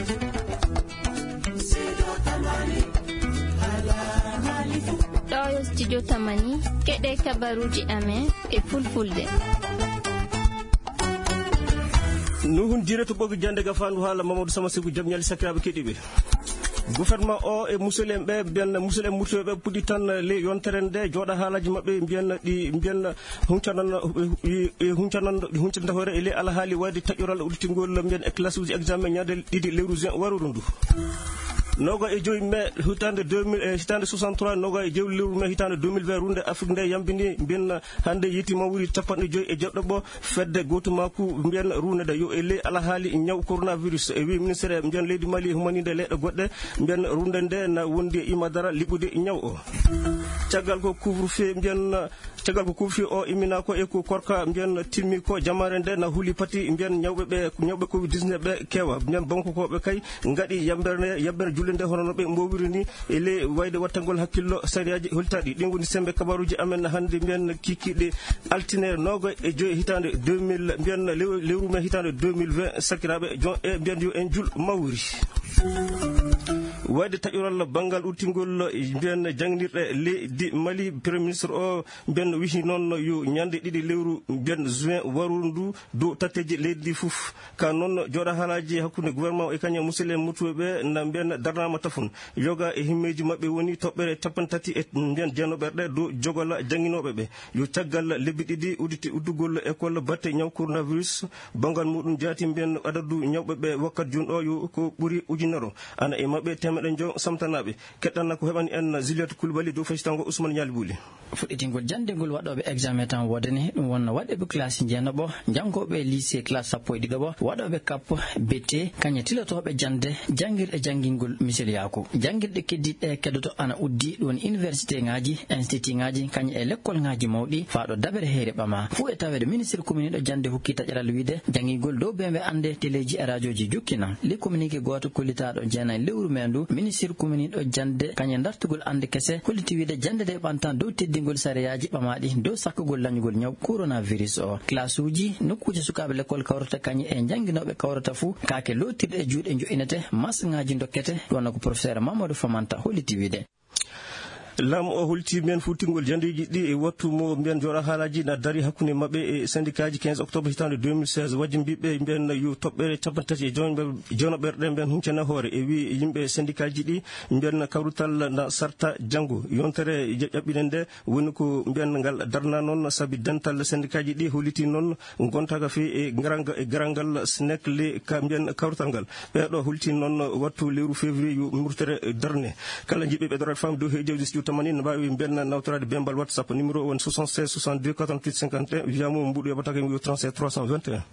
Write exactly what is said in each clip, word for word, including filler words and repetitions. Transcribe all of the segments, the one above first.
Ɗo yo studio Tamani, keɗe kabaruuji amen e fulfulde. Nuhun Jire to ɓogi jande ga fandu haala Mamadou Sama Seku, jam ñali sakiraaɓe keɗiiɓe. Gouvernement o e musidɓe ɓe, ɓen musidɓe murtuɓe ɓe puɗɗi tan le yontere nde, jooɗa haalaji maɓɓe, mbiyen ɗi, mbiyen huncanan, e, e, huncanan, ɗi huncanta hoore e le alhaali wayde taƴoral udditingol mbiyen e classe uji examen ñande ɗiɗi lewru juin waroru ndu. Noga e joyi mai hitande deux mille, e, hitande soixante-trois, noga e joyi lewru mai hitande deux mille vingt, runde Afrique nde yambini mbiyen hande yiti mawri capanɗe joyi e jeɗɗo ɓo. Fedde gootumaaku mbiyen ruunde nde yo e ley alhaali ñaw coronavirus. E wi ministre mbiyen leydi Mali humaninde leyɗe goɗɗe mbiyen ruunde nde na wondi e imadara liɓude ñaw o. Caggal ko couvre-feu mbiyen, caggal ko couvre-feu o immina ko e ko korka mbiyen timmi ko, jamaare nde na huli pati mbiyen ñawɓe ɓe, ñawɓe covid dix-neuf ɓe kewa. Mbiyen Bamako koɓe kay ngaɗi yambere, yambere julde nde hono no ɓe mbowiri ni. E ley wayde wattangol hakkillo sariyaaji holtaaɗi. Ɗin woni sembe kabaruuji amen hannde, mbiyen kiikiiɗe altine noga e joyi hitande deux mille, mbiyen lew-, lewru mai hitande deux mille vingt, sakiraaɓe jon e mbiyen yo en jul mawri. Wayde taƴoral banngal uttingol mbiyen jangnirɗe leydi Mali, Premier Ministre o mbiyen wihi noon yo ñande ɗiɗi lewru mbiyen juin waroru ndu dow tatteeji leydi ndi fof. Ka noon jooɗa haalaaji hakkunde gouvernement o e kañum e musidɓe murtuɓe ɓe na mbiyen darnaama tafon. Yoga e himmeeji maɓɓe woni toɓɓere capanɗe tati e mbiyen jeenooɓerɗe dow jogola jannginooɓe ɓe. Yo caggal lebbi ɗiɗi udditi uddugol école batte ñaw coronavirus, banngal muɗum jaati mbiyen adadu ñawɓe ɓe wakkati jooni o yo ko ɓuri ujunere. Ana e maɓɓe teemeɗe njo samtanaaɓe. Keɗɗana ko heɓani en Juliette Coulibaly dow feccitango Ousmane Ñaali Buuli. Fuɗɗitingol jannde ngol waɗooɓe examen tan woodani, ɗum wonno waɗooɓe classe jeenaɓo, janngooɓe lycée classe sappo e ɗiɗaɓo, waɗooɓe kap, B T, kañe tilotooɓe jannde, janngirɗe janngingol misiliyaaku. Janngirɗe keddiiɗe keddoto ana uddi, ɗum woni université ŋaaji, institut ŋaaji, kañe e lekkol ŋaaji mawɗi, faa ɗo dabere heyre ɓama. Fuu e taweede ministre kuminiiɗo jannde hokki taƴaral wiide, janngingol dow beembe annde, teleeji e raajooji jokkina. Li communiqué gooto kollitaaɗo jeenayi lewru mee ndu, ministre kuminiiɗo jannde, kañe dartugol annde kese, holliti wiide jannde nde ɓantan dow teddingol sariyaaji ɓamaaɗi dow sakkugol lañugol ñaw coronavirus o. Classe uji, nokkuuje sukaaɓe lekkol kawrata kañe e jannginooɓe kawrata fuu, kaake lootirɗe e juuɗe njo'inete, masŋaaji dokkete, ɗum wonno ko professeur Mamadou Famanta holliti wiide. Laamu o holti mbiyen fuɗɗingol jandeeji ɗi e wattu mo mbiyen jooɗa haalaaji na dari hakkunde maɓɓe e syndicat ji. Quinze octobre hitande deux mille seize, wajjimbiiɓe mbiyen yo toɓɓere capanɗe tati e jeenaɓerɗe mbiyen huncana hoore e wi yimɓe syndicat ji ɗi mbiyen kawrital na sarta janngo. Yontere ƴaɓɓine nde woni ko mbiyen ngal darna noon sabi dental syndicat ji ɗi holliti noon gontaaga feewi e garanga-, e garal ngal SNEC le ka mbiyen kawrital ngal. Ɓeeɗo holti noon wattu lewru février yo murtere darne. Kala jiɗɓe ɓe darade fam dow heejo studio Tamani ne mbaawi mbiyen nawtoraade bembal WhatsApp numéro woni soixante-seize soixante-deux quatre-vingt-huit cinquante et un, wiya mo mbuɗu yoɓatake mi trente-sept trois cent vingt et un.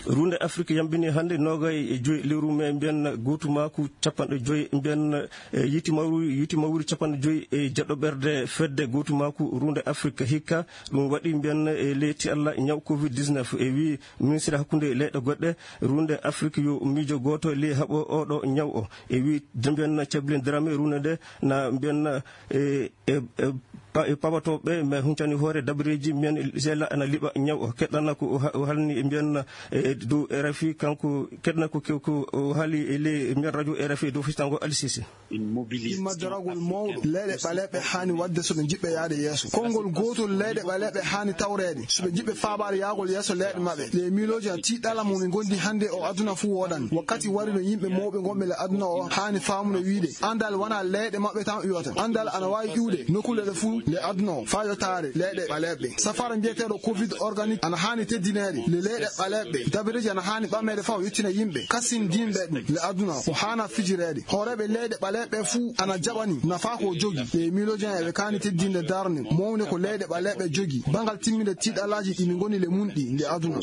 Runde Afrique yambini hannde noga e joyi lewru mai mbiyen gootumaaku capanɗe joyi mbiyen, e, yiti mawri, yiti mawri capanɗe joyi e jeɗɗo ɓerde fedde gootumaaku runde Afrique hikka. Ɗum waɗi mbiyen e leydi Allah ñaw covid dix-neuf e wi ministre hakkunde leyɗe goɗɗe runde Afrique yo miijo gooto ley haɓo oɗo ñaw o. E wi mbiyen cabilen drame runde nde na mbiyen, e, e, e, pa-, e paɓatooɓe, mais huncani hoore dabareeji, mbiyen sela ana liɓa ñaw o. Keɗɗana ko o ha-, o halni mbiyen, e, dow R F I, kanko keɗɗana ko, ko, ko o haali e ley mbiyen radio R F I dow fistango Ali Cissé. Imma daragol mawɗo leyɗe ɓaleeɓe haani waɗde so ɓe njiɗɓe yahde yeeso. Konngol gootol leyɗe ɓaleeɓe haani tawreede so ɓe njiɗɓe faabaade yahgol yeeso leyɗe maɓɓe. Ɗe miilooji a tiiɗala mo min ngondi hannde o aduna fuu woodani. Wakkati wari no yimɓe mawɓe ngonɓe le aduna o haani faamude wiide anndal wonaa leyɗe maɓɓe tan iwata. Anndal ana waawi iwde nokkuule ɗe fuu le aduna o faa yottaade leyɗe ɓaleeɓe. Safaara mbiyeteeɗo covid organique ana haani teddineede le leyɗe ɓaleeɓe. Dabareeji ana haani ɓameede faa o yettina yimɓe kasindiinɓe ɗum le aduna o haana fijireede. Hooreeɓe leyɗe ɓaleeɓe fuu ana jaɓani nafaa ko o jogi. Ɗe miilooji en eɓe kaani teddinde darnde mawnde ko leyɗe ɓaleeɓe jogi. Banngal timminde tiiɗalaaji ɗi min ngoni le mun ɗi nde aduna.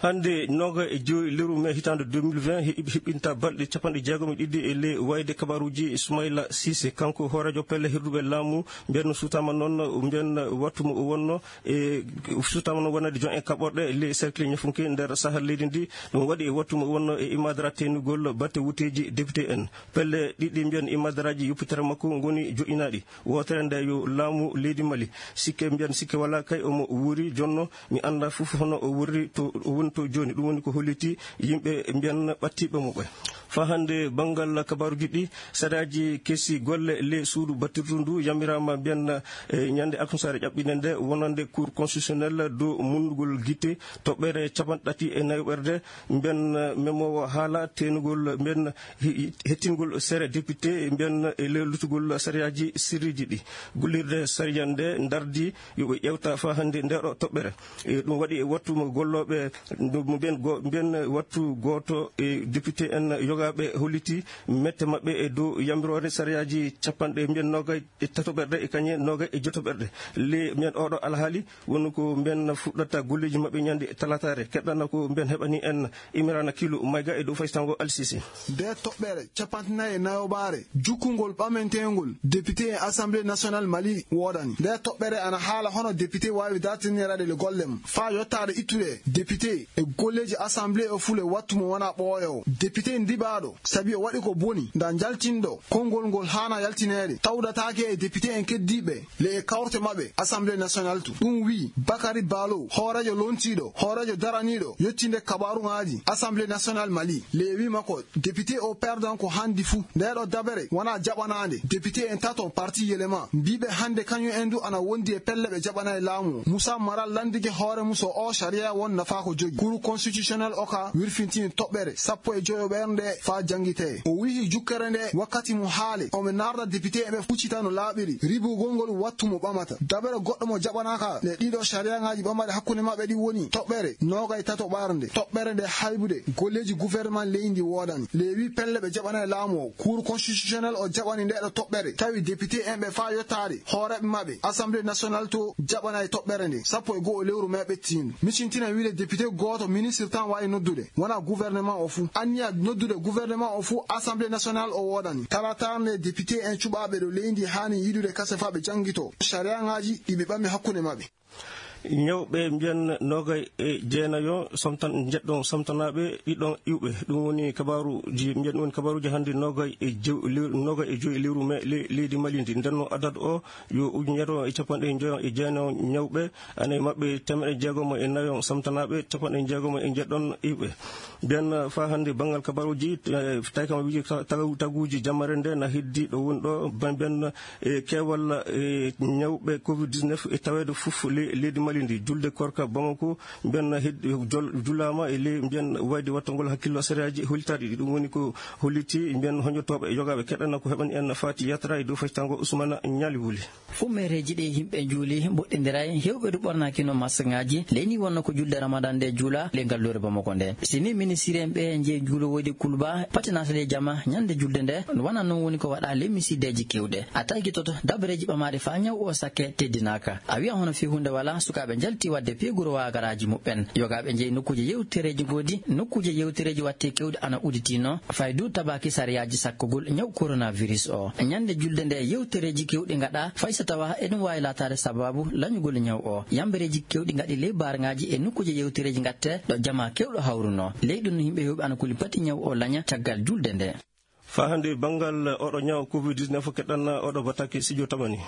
Hannde nooga e joyi lewru mai hitaande deux mille vingt, he-, heɓɓinta balɗe capanɗe jeegom e ɗiɗi e ley wayde kabaruuji Ismaila Cissé. Kanko hooreejo pelle hirduɓe laamu, mbiyen suutaama noon, mbiyen wattu mo o wonno e suutaama noon wonande jon e kaɓorɗe ley cercle ñafunke nder sahal leydi ndi. Ɗum waɗi e wattu mo wonno e imadara teenugol batte wuteeji député en. Pelle ɗiɗi mbiyen imadaraaji yoppitere makko ngoni joƴƴinaaɗi. Wootere nde yo laamu leydi Mali. Sikke mbiyen sikke walaa kay omo wuuri jonno. Mi anndaa fof hono o wuuri to o woni to jooni. Ɗum woni ko holliti yimɓe mbiyan ɓattiiɓe mo ɓe. Faa hannde banngal kabaaruuji ɗi, sariyaaji kesi golle ley suudu battirdu ndu yamiraama mbiyan, e, ñande alkamisaare ƴaɓɓinde nde wonande Cour constitutionnelle dow munnugol gite toɓɓere capanɗe tati e nayoɓerde mbiyan, memoowo haala teenugol mbiyan hi-, hettingol sere député mbiyan e ley lutugol sariyaaji sirriiji ɗi. Gollirde sariya nde ndardi yo ɓe ƴeewta faa hannde ndeeɗo toɓɓere. E, ɗum waɗi e wattu mo gollooɓe, mo mbiyen go-, mbiyen wattu gooto e député en yogaaɓe holliti mette maɓɓe e dow yamiroore sariyaaji capanɗe mbiyen noogay e tatoɓerɗe e kañe noogay e jotoɓerɗe. Le mbiyen oɗo alhaali woni ko mbiyen fuɗɗata golleeji maɓɓe ñande talataare. Keɗɗana ko mbiyen heɓani en Imrana Kilo Mayga e dow faysango Alsisi. Nde toɓɓere capanɗe nayi e nayoɓaare, jukkungol ɓamentengol député e Assemblée nationale Mali woodani. Nde toɓɓere ana haala hono député waawi dartiniraade le golle mum. Faa yottaade ittude député e golleeji Assemblée o fule wattu mo wona ɓooyoowo. Député ndiɓaaɗo, sabi o waɗi ko boni, nda njaltinɗo, konngol ngol haana yaltineede, tawdataake e député en keddiiɓe, le e kawte maɓɓe, Assemblée nationale to. Ɗum wi'i Bakary Balo, hooreejo lontiiɗo, hooreejo daraniiɗo, yettinde kabaaruŋaaji, Assemblée nationale Mali. Le wi'i makko, député o perdan ko handi fuu. Ndeeɗo dabere wona jaɓanaande. Député en tato parti Yelema mbiiɓe hannde kañum en du ana wondi e pelle ɓe jaɓanay laamu o. Moussa Maral lanndike hoore mum so o sariya won nafaa ko jogi. Cour constitutionnel o ka wirfintini toɓɓere sappo e joyo ɓernde faa janngitee. O wihi jukkere nde wakkati mo haale. Omo naarda député ɓe fuccita no laaɓiri. Ribugol ngol wattu mo ɓamata. Dabere goɗɗo mo jaɓanaaka le ɗiɗo sariyaŋaaji ɓamaɗe hakkunde maɓɓe ɗi woni toɓɓere noogay tato ɓarnde. Toɓɓere nde haybude golleeji gouvernement leydi woodani. Le wi pelle ɓe jaɓanay laamu o. Cour constitutionnel o jaɓani ndeɗo toɓɓere. Tawi député en ɓe faa yottaade hooreeɓe maɓɓe. Assemblée nationale to jaɓanay toɓɓere nde. Sappo e go'o lewru mai ɓettiindu. Micintina wiide député gooto ministre tan waawi noddude. Wona gouvernement o fuu. Anniya noddude gouvernement o fuu Assemblée nationale o woodani. Talatar nde député en cuɓaaɓe ɗo leydi haani yiɗude kase faa ɓe janngito. Sariyaŋaaji ɗi ɓe ɓami hakkunde maɓɓe. Ñawɓe mbiyan noogay e jeenayo somtan-, njeɗɗon somtanaaɓe ɗiɗon iwɓe. Ɗum woni kabaaruuji, mbiyan ɗum woni kabaaruuji hannde noogay e jew-, lew-, noogay e joyi lewru mai le-, leydi Mali ndi. Nden no adad o yo ujunere e capanɗe njoyo e jeenayo ñawɓe, ana e maɓɓe teemeɗɗe jeegomo e nayo somtanaaɓe, capanɗe jeegomo e njeɗɗon iwɓe. Nden faa hannde banngal kabaaruuji, eh, tawi kam wiide ta-, tagu-, taguuji jamare nde na heddi ɗo woni ɗo, ben, ben e keewal, e ñawɓe covid dix-neuf e taweede fof le-, leydi Mali ndi. Julde korka Bamako, mbiyan hed-, jol-, julaama e ley, mbiyan wayde wattangol hakkillo sariyaaji hollitaaɗi ɗi. Ɗum woni ko holliti, mbiyan hoñotooɓe e yogaaɓe keɗana ko heɓani en Fati Yatra e dow faytango Ousmane Ñaali Wuli. Fummeereeji ɗi yimɓe njuuli mboɗɗindiray, heewɓe du ɓornaakino maskŋaaji. Ley ni wonno ko julde Ramadan nde juula le ngal lore Bamako nde. Si ni ministiri en ɓe njeyi juulo woyde Kulba, patinaata le jama ñande julde nde, wona noon woni ko waɗa le misiideeji keewɗe. A taykitoto dabareeji ɓamaaɗi faa ñaw o sakke teddinaaka. A wi'a hono fii huunde walaa, sukaaɓe njalti waɗde peeguro waagaraaji muɓɓen. Yogaaɓe njeyi nokkuuje yewtereeji ngoodi, nokkuuje yewtereeji waɗte keewɗi ana udditinoo, fay du tabaaki sariyaaji sakkugol ñaw coronavirus o. Ñande julde nde yewtereeji keewɗi ngaɗa, fay so tawa eɗum waawi laataade sabaabu lañugol ñaw o. Yambereeji keewɗi ngaɗi ley baarŋaaji e nokkuuje yewtereeji ngatte ɗo jamaa keewɗo hawrunoo. Ley ɗum no yimɓe heewɓe ana kuli pati ñaw o laña caggal julde nde. Faa hannde banngal oɗo ñaw covid dix-neuf keɗɗan oɗo batake Sidio Tamani.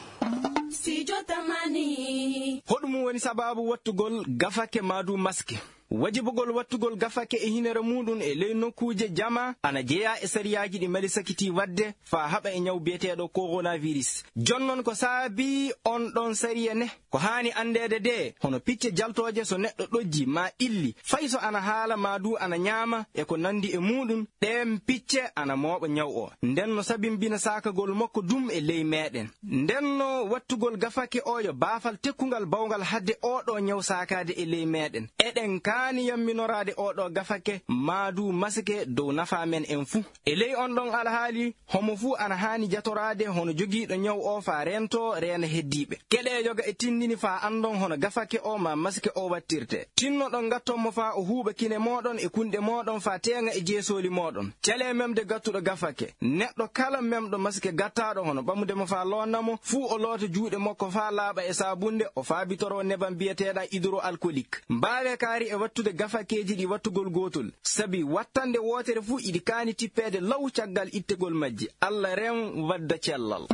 Sidio Tamani. Hoɗum woni sabaabu wattugol gafake maa du maske? Wajibugol wattugol gafake e hinere muuɗum e ley nokkuuje jama ana jeyaa e sariyaaji ɗi Mali sakitii waɗde faa haɓa e ñaw biyeteeɗo coronavirus. Jonnon ko saabii on ɗon sariya ne? Ko haani anndeede de, hono picce jaltooje so neɗɗo ɗojji maa illi, fay so ana haala maa du ana ñaama e ko nanndi e muuɗum, ɗeen picce ana mooɓa ñaw o. Nden no sabimbina saakagol makko dum e ley meeɗen. Nden no wattugol gafake o yo baafal tekkungal bawngal hadde oo ɗoo ñaw saakaade e ley meeɗen. Eɗen kaani yamminoraade oo ɗoo gafake maa du masike dow nafaa men en fuu. E ley on ɗon alhaali, homo fuu ana haani jatoraade hono jogiiɗo ñaw o faa reentoo reena heddiiɓe. Keɗee yoga e tinndini faa anndon hono gafake o maa masike o wattirtee. Tinnoɗon ngatton mo faa o huuɓa kine mooɗon e kunɗe mooɗon faa teeŋa e jeesooli mooɗon. Calee memde gattuɗo gafake. Neɗɗo kala memɗo masike gattaaɗo hono ɓamude mo faa loonna mo, fuu o loota juuɗe makko faa laaɓa e saabunnde, o faabitoroo nebam biyeteeɗam hydroalcoolique. Mbaawee kaari e Tude gafakeeji ɗi wattugol gootol, sabi wattande wootere fuu iɗi kaani tippeede law caggal ittegol majji. Allah rem wadda cellal.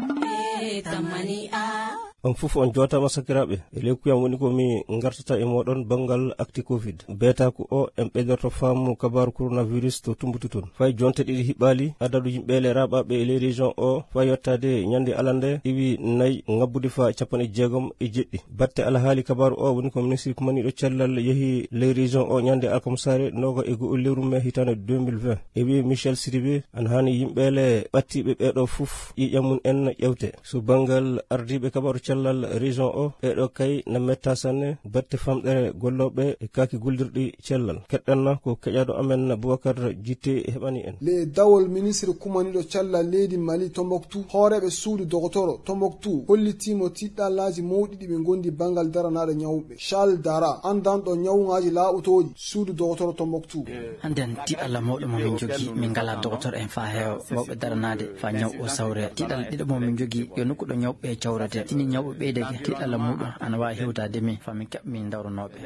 On fof on jootaama sakiraaɓe. E ley kuyam woni ko mi ngartata e mooɗon banngal akti covid. Beetaaku o en ɓeydorto faamu kabaaru coronavirus to Tumbutu toon. Fay jonte ɗiɗi hiɓɓaali, adadu yimɓe le raɓaaɓe e ley région o faa yottaade ñande alande iwi nayi ŋabbude faa capanɗe jeegom e jeɗɗi. Batte alhaali kabaaru o woni ko ministre kumaniiɗo cellal yehi ley région o ñande alkamsaare nooga e go'o lewru mai hitaande deux mille vingt. E wi'i Michel Sidibé, ana haani yimɓe le ɓattiiɓe ɓeeɗo fof ƴiiƴam mum en ƴewte. So banngal ardiiɓe kabaaru cellal région o, ɓeeɗo kay na metta sanne batte famɗere gollooɓe e kaaki gollirɗi cellal. Keɗɗanna ko keƴaaɗo amen Boubacar Jité heɓani en. Le dawol ministre kumaniiɗo cellal leydi Mali Tombouctou, hooreeɓe suudu dogotoro Tombouctou hollitiimo tiɗɗallaaji mawɗi ɗi ɓe ngondi banngal daranaaɗo ñawɓe. Charles Dara, anndanɗo ñawŋaaji laaɓotooɗi suudu dogotoro Tombouctou. Hannden tiɗalla mawɗo mo min njogii, min ngalaa dogotoro en faa heewa wawɓe daranaade faa ñaw o sawre. Tiɗalla ɗiɗo mo min njogii yo nokku ɗo ñawɓe cawrete. Tini ñawɓe ɓeydake, tiɗalla muuɗum ana waawi hewtaade min faa min keɓa min dawranooɓe.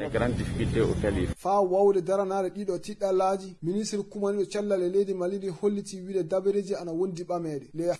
Faa wawde daranaade ɗiɗo tiɗɗallaaji, ministre kumaniiɗo cellal e leydi Mali ndi hollitii wiide dabareeji ana wondi ɓameede. Le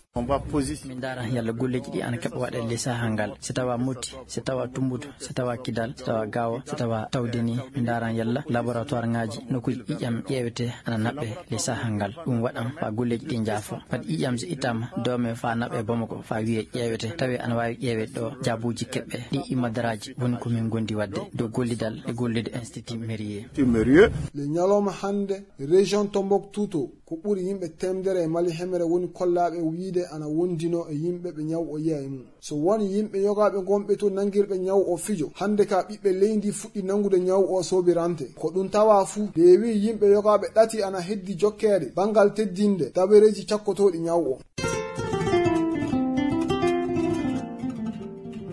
Min ndaaran yalla golleeji ɗi ana keɓa waɗeede ley sahaa ngal. Si tawaa Moti, si tawaa Tumbutu, si tawaa Kidal, si tawaa Gaawo, si tawaa Tawdeni, min ndaaran yalla laboratoire ŋaaji nokkuuji ƴiiƴam ƴeewetee ana naɓɓee ley sahaa ngal. Ɗum waɗan faa golleeji ɗi njaafo. Ɓad ƴiiƴam so ittaama, doomee faa naɓɓee Bamako faa wiyee ƴeewetee. Tawee ana waawi ƴeeweede ɗo jaabuuji keɓɓe. Ɗi imadaraaji woni ko min ngondi waɗde dow gollidal e gollude Institut Mérieux. Le ñalawma hannde, région Tombouctou to, ko ɓuri yimɓe teemedere e Mali hemere woni kollaaɓe wiyde ana wondinoo e yimɓe ɓe ñaw o yehi e mum. So won yimɓe yogaaɓe gonɓe to nanngirɓe ñaw o fijo, hannde ka ɓiɓɓe leydi fuɗɗi nanngude ñaw o soobirante. Ko ɗum tawaa fuu, nde wi'i yimɓe yogaaɓe ɗati ana heddi jokkeede banngal teddinde dabareeji cakkotooɗi ñaw o.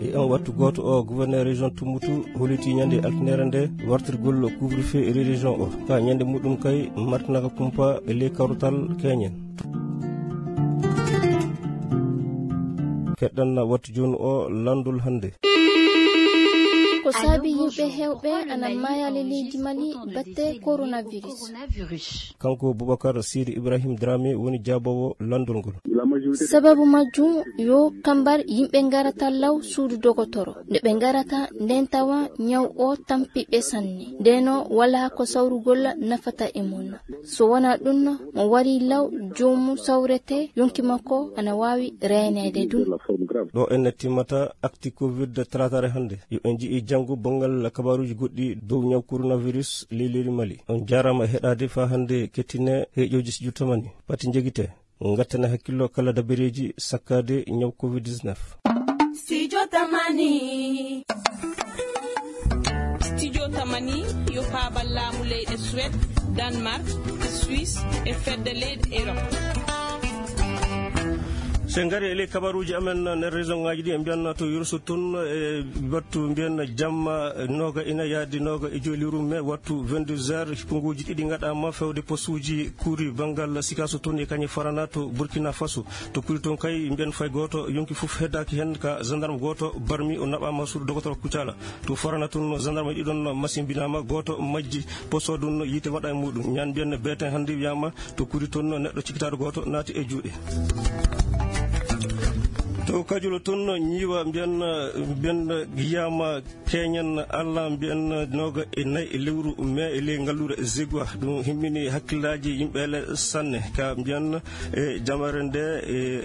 E on wattu gooto o, gouverneur région Tumbutu holiti ñande altinere nde wartirgol couvre-feu e région o. Ka ñande muɗum kay martinaka kumpa e ley kawrutal keñen. Keɗɗan wattu jooni o lanndol hannde. Ko saabi yimɓe heewɓe ana maaya le leydi Mali batte coronavirus. Kanko Boubacar Sidi Ibrahim Dramé woni jaaboowo lanndol ngol. Sababu majjum yo kambar yimɓe ngarata law suudu dogotoro. Nde ɓe ngarata nden tawa ñaw o tampi ɓe sanne. Ndeno walaa ko sawrugol nafata e mum. So wonaa ɗum, mo wari law joomum sawrete, yonki makko ana waawi reeneede ɗum. Ɗo en timmata akti covid talaataare hannde. Yo en nji'i janngo banngal kabaaruuji goɗɗi dow ñaw coronavirus ley leydi Mali. On jaaraama heɗaade faa hannde kettine heeƴooji si juttamani. Pati njegite. Ngattana hakkillo kala dabareeji sakkaade ñaw covid dix-neuf. Studio Tamani. Studio Tamani yo paabal laamu leyɗe Suède, Danemark, e Suisse e fedde leyɗe Europe. So en ngari e ley kabaruuji amen nder région ŋaaji ɗi, en mbiyan to Yurso toon e wattu mbiyen jamma nooga ina yaadi nooga e joyi lewru mai wattu vingt-deux heures, konguuji ɗiɗi ngaɗaama fewde postuuji kuuri banngal Sikaso toon e kañe Farana to Burkina Faso. To kuuri toon kay mbiyen fay gooto yonki fof heddaaki heen ka gendarme gooto barmi o naɓaama suudu dogotoro Kucala. To Farana toon gendarme ɗiɗon masimbinaama, gooto majji, poste o ɗum yiite waɗa e muɗum. Ñande mbiyen beeten hannde wiyaama to kuuri toon neɗɗo cikkitaaɗo gooto naati e juuɗe. To Kajulo toon ñiiwa mbiyen, mbiyen yiyaama keñen Allah mbiyen nooga e nayi e lewru mai e ley ngalluure Zegwa. Ɗum himmini hakkillaaji yimɓe le sanne. Ka mbiyen e jamaare nde, e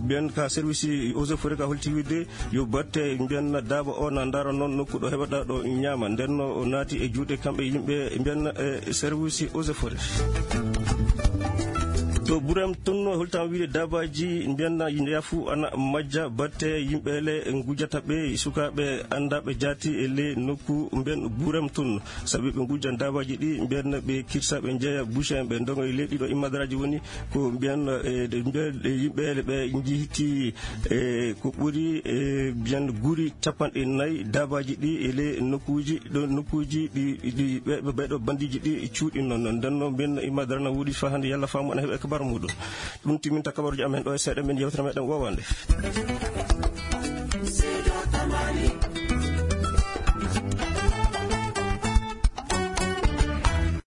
mbiyen ka service eaux et forêts ka holti wiide yo batte mbiyen daaba o na ndaara noon nokku ɗo heɓata ɗo ñaama. Nden no o naati e juuɗe kamɓe yimɓe mbiyen e service eaux et forêts. To Burem toon no holtam wiide daabaaji mbiyen ndeya fuu ana majja batte yimɓe le ngujata ɓe sukaaɓe anndaɓe jaati e le nokku mbiyen Burem toon. Sabi ɓe ngujjan daabaaji ɗi mbiyen ɓe kirsa ɓe njeeya boucher en ɓe ndonga e leydi ɗo immadaraaji woni ko mbiyen e mbiyen yimɓe le ɓe njiiti e ko ɓuri e mbiyen guri capanɗe nayi daabaaji ɗi e le nokkuuji ɗo nokkuuji ɗi ɗi ɓe ɓe ɗo bandiiji ɗi cuuɗi noon. Nden noon mbiyen immadarana wuuɗi faa hannde yalla faamu ana heɓa e kabar muɗum. Ɗum timminta kabaruuji amen ɗo e seeɗa men yewtere meɗen wowande.